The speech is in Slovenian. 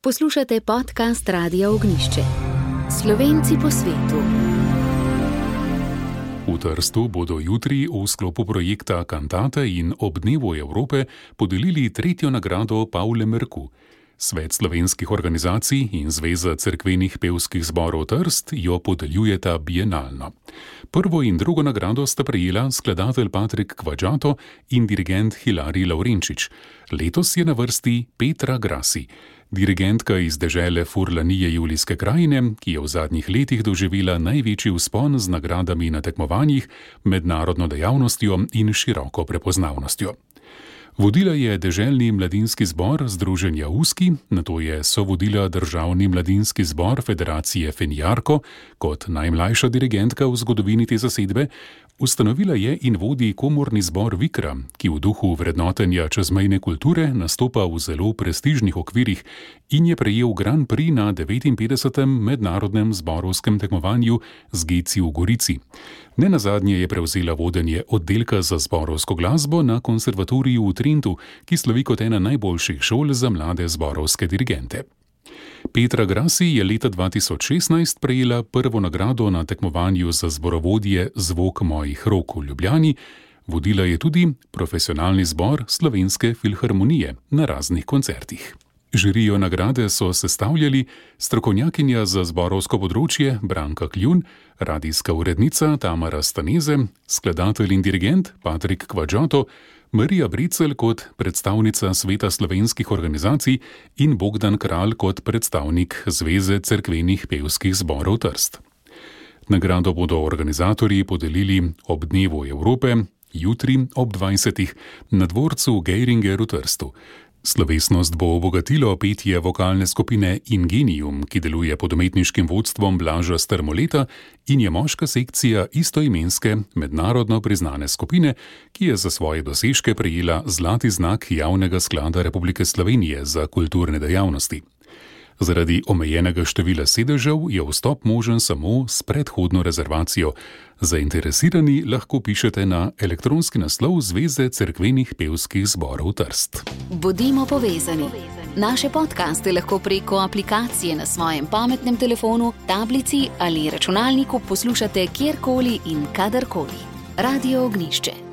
Poslušate podcast Radia Ognjišče. Slovenci po svetu. V Trstu bodo jutri v sklopu projekta Cantate in ob dnevu Evrope podelili tretjo nagrado Pavle Merku. Svet slovenskih organizacij in Zveza cerkvenih pevskih zborov Trst jo podeljujeta bienalno. Prvo in drugo nagrado sta prejela skladatelj Patrik Kvadžato in dirigent Hilarij Lavrenčič. Letos je na vrsti Petra Grasi, dirigentka iz dežele Furlanije Julijske krajine, ki je v zadnjih letih doživela največji vzpon z nagradami na tekmovanjih, mednarodno dejavnostjo in široko prepoznavnostjo. Vodila je deželni mladinski zbor Združenja Uski, nato je sovodila državni mladinski zbor Federacije Fenjarko kot najmlajša dirigentka v zgodovini te zasedbe. Ustanovila je in vodi komorni zbor Vikra, ki v duhu vrednotenja čezmejne kulture nastopa v zelo prestižnih okvirih in je prejel Grand Prix na 59. mednarodnem zborovskem tekmovanju z Geci v Gorici. Nenazadnje je prevzela vodenje oddelka za zborovsko glasbo na konservatoriju v Trentu, ki slovi kot ena najboljših šol za mlade zborovske dirigente. Petra Grasi je leta 2016 prejela prvo nagrado na tekmovanju za zborovodje Zvok mojih rok v Ljubljani, vodila je tudi profesionalni zbor Slovenske filharmonije na raznih koncertih. Žirijo nagrade so sestavljali strokovnjakinja za zborovsko področje Branka Kljun, radijska urednica Tamara Staneze, skladatelj in dirigent Patrik Kvadžato, Marija Brecelj kot predstavnica Sveta slovenskih organizacij in Bogdan Kralj kot predstavnik Zveze cerkvenih pevskih zborov Trst. Nagrado bodo organizatorji podelili ob dnevu Evrope, jutri ob 20. na dvorcu Geiringer v Trstu. Slovesnost bo obogatilo petje vokalne skupine Ingenium, ki deluje pod umetniškim vodstvom Blaža Strmoleta in je moška sekcija istoimenske, mednarodno priznane skupine, ki je za svoje dosežke prejela zlati znak Javnega sklada Republike Slovenije za kulturne dejavnosti. Zaradi omejenega števila sedežev je vstop možen samo s predhodno rezervacijo. Zainteresirani lahko pišete na elektronski naslov Zveze cerkvenih pevskih zborov Trst. Bodimo povezani. Naše podcaste lahko preko aplikacije na svojem pametnem telefonu, tablici ali računalniku poslušate kjerkoli in kadarkoli. Radio Ognjišče.